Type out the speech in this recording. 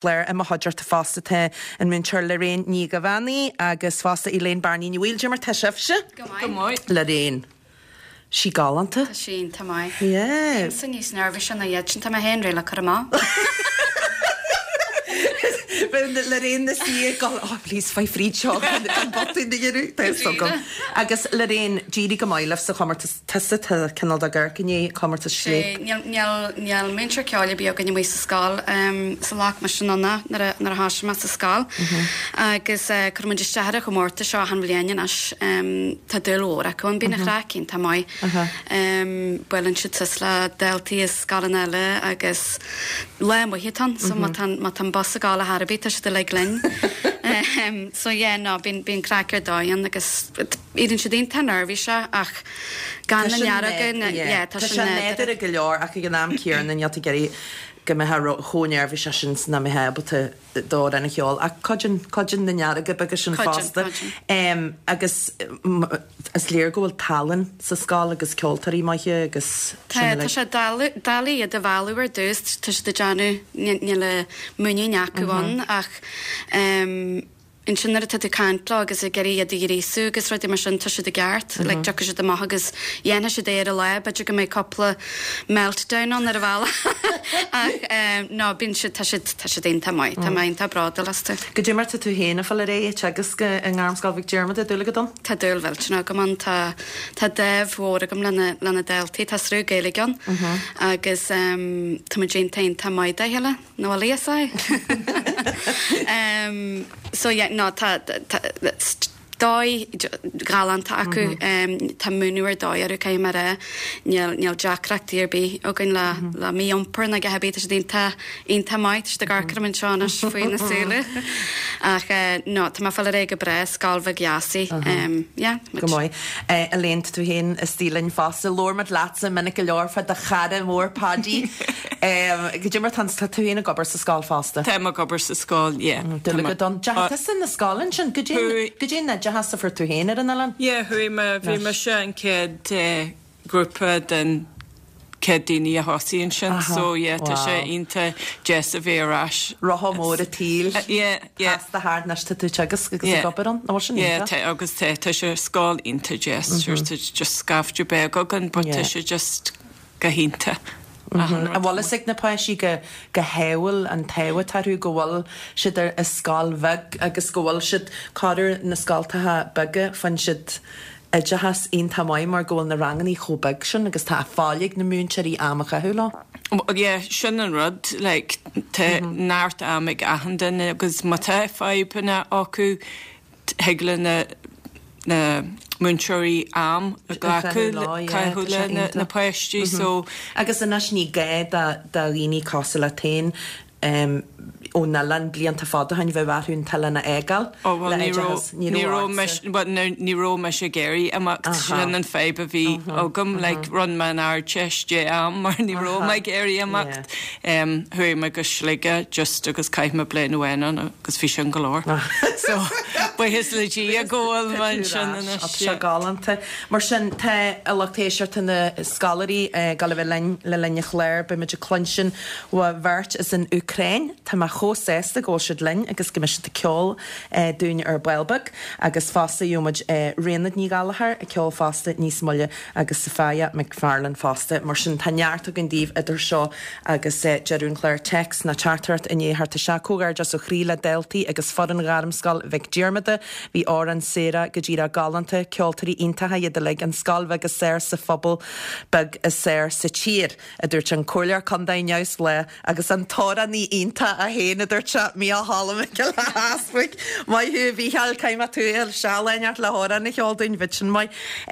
Chlár i mo chuideachta fosta tá an múinteoir Lorraine Ní Dhuibheannaigh agus fosta Elaine Bearnaí Ní Bhaoill. Cad é mar tá sibhse? Go maith. Go maith. Lorraine. Sí galánta. Tá sí iontach maith. Yeah. Bímse níos neirbhísí ná iad sin, tá mé féin réidh le cur amach. Bheadh Lorraine ina suí ag gol, oh please faigh fríd seo gan botún a dhéanamh. Tá fhios agam. Agus Lorraine, d'éirigh go maith libh sa chomórtas. Tusa tá cineál de ag amharc i ndiaidh comórtas Scléip. Sea, níl, níl múinteoir ceoil ar bith againn amuigh sa scoil sa ghlac mise anonn é nuair a, nuair a thosaigh mé sa scoil. Agus cuireann muid isteach ar an chomórtas seo achan bhliain anois. Tá dúil mhór acu ann, bíonn an chraic iontach maith. Buaileann siad suas le daltaí as scoileanna eile agus lá maith atá ann, so má tá, má tá an bus ag gabháil ar chor ar bith tá siad uilig linn. So yeah, no, bíonn, bíonn craic ar dóigh ann agus Éiríonn siad iontach neirbhíseach ach gan na nearóga, yeah, tá sé nádúrtha go leor ach ag an am céanna níl tú ag iarraidh go mbeifeá chomh neirbhíseach sin is nach mbeifeá ábalta d'amhrán a cheol ach cuidíonn, cuidíonn na nearóga beaga sin fosta. Agus is léir go bhfuil tallann sa scoil agus ceoltóirí maithe agus sin uilig. Tá, tá sé doiligh iad a mhealladh ar dtús, tá siad ag déanamh, níl a muinín acu ann ach Ansin nuair atá tú ag caint leo agus ag iarraidh iad a ghríosú agus rudaí mar sin, tá siad i gceart. Like, tiocfaidh siad amach agus dhéanfaidh siad é ar an lá, b'fhéidir go mbeidh cúpla meltdown ann ar an bhealach ach eh, no, bíonn siad, tá siad, tá siad iontach maith, tá mé iontach bródúil astu. Goidé mar tá tú féin ag fáil ar aghaidh ag teagasc i nGairmscoil Mhic Diarmada, dúil agat ann? Tá dúil mhillteanach agam ann, tá, tá dáimh mhór agam lena, lena daltaí, tá sruth Gaeilge ann agus em, tá muid iontach, iontach maith dá chéile. Nó a leas é. So yeah, no, tá, tá, dóigh ghalánta acu, tá múineadh ar dóigh orthu, caithfidh mé a rá. Níl, níl deacrachtaí ar bith againn le, le mí-iompar ná a dhath ar bith, tá siad iontach, iontach maith, tá siad ag amharc orm anseo anois faoi na súile. Ach no, tá mé ag fáil ar aghaidh go breá, scoil bheag dheas í. Yeah, tá muid. Go maith. Elaine, tá tú féin istigh linn fosta. Labhair muid leatsa minic go leor fá do chara mór Paddy. Goidé mar tá tá tú féin ag obair sa scoil fosta? Táim ag obair sa scoil, yeah. Dúil agat ann. Deachaigh tusa na scoile ansin. Goidé goidé an oideachas a fuair tú féin ar an oileán? Yeah, chuaigh mé, bhí mise an chéad grúpa den chéad daoine a thosaigh ansin, so yeah, tá sé iontach deas a bheith ar ais. Rotha mór an tsaoil. Yeah, yeah. Pasta thart anois tá tú ag teagasc agus ag obair ann. An bhfuil sin iontach? Yeah, tá agus tá, tá sé scoil iontach deas, sure tá just scaifte beag againn but tá sé just go hiontach. An bhfuil fhios ag na páistí go go hádhúil an t-ádh atá orthu go bhfuil siad ar i scoil bheag agus go bhfuil siad corruair na scoltacha beaga faigheann siad oideachas iontach maith mar go bhfuil na rangannaí chomh beag sin agus tá fáil ag na múinteoirí am a chaitheamh leo. Well yeah, sin an rud, like tá neart am ag achan duine agus má tá fadhbanna acu thig le na na múinteoirí am a ghlacadh caitheamh le na páistí so. Agus anois ní gá do dhaoine cosúil leat féin ón oileán blianta fada ó shin bheadh orthu an t-oileán a fhágáil Ó bhuel ní raibh ní raibh mise bhuel ní raibh mise ag iarraidh imeacht sin an fadhb a bhí agam like rinne mé an Ardteist dhé am mar ní raibh mé ag iarraidh imeacht. Chuaigh mé go Sligeach just agus chaith mé bliain amháin ann agus bhí sin go leor. So, buíochas le Dia go bhfuil mé ansin anois. Tá sé galánta. Mar sin, tá a lucht éisteachta na scoláirí ag dul a bheith linn le linn an chláir. Beidh muid ag cluinstin ó bheirt as an Úcráin. Tá mé chomh sásta go bhfuil siad linn agus go mbeidh siad ag ceol dúinn ar ball beag. Agus fosta gheobhaidh muid Raonaid Ní Ghallchóir ag ceol fosta níos moille agus Sophia McFarlane fosta. Mar sin, tá neart againn daoibh idir seo agus deireadh an chláir. Téacs nó teachtaireacht i ndiaidh a theacht isteach. Comhghairdeas ó chroí le daltaí agus foireann Ghairmscoil Mhic Diarmada. Bhí amhráin Sarah go díreach galánta. Ceoltóirí iontacha iad uilig. An scoil bheag is fearr sa phobal beag is fearr sa tír, a dúirt an Comhairleoir Contae neamhspleách agus an t-amhránaí iontach é féin, a dúirt sé, Mícheál Ó Mac Giolla Easbuig. Maith thú, a Mhícheáil, caithfidh mé tú a fháil isteach lá inteacht le hamhrán a cheol dúinn, bheadh sin maith.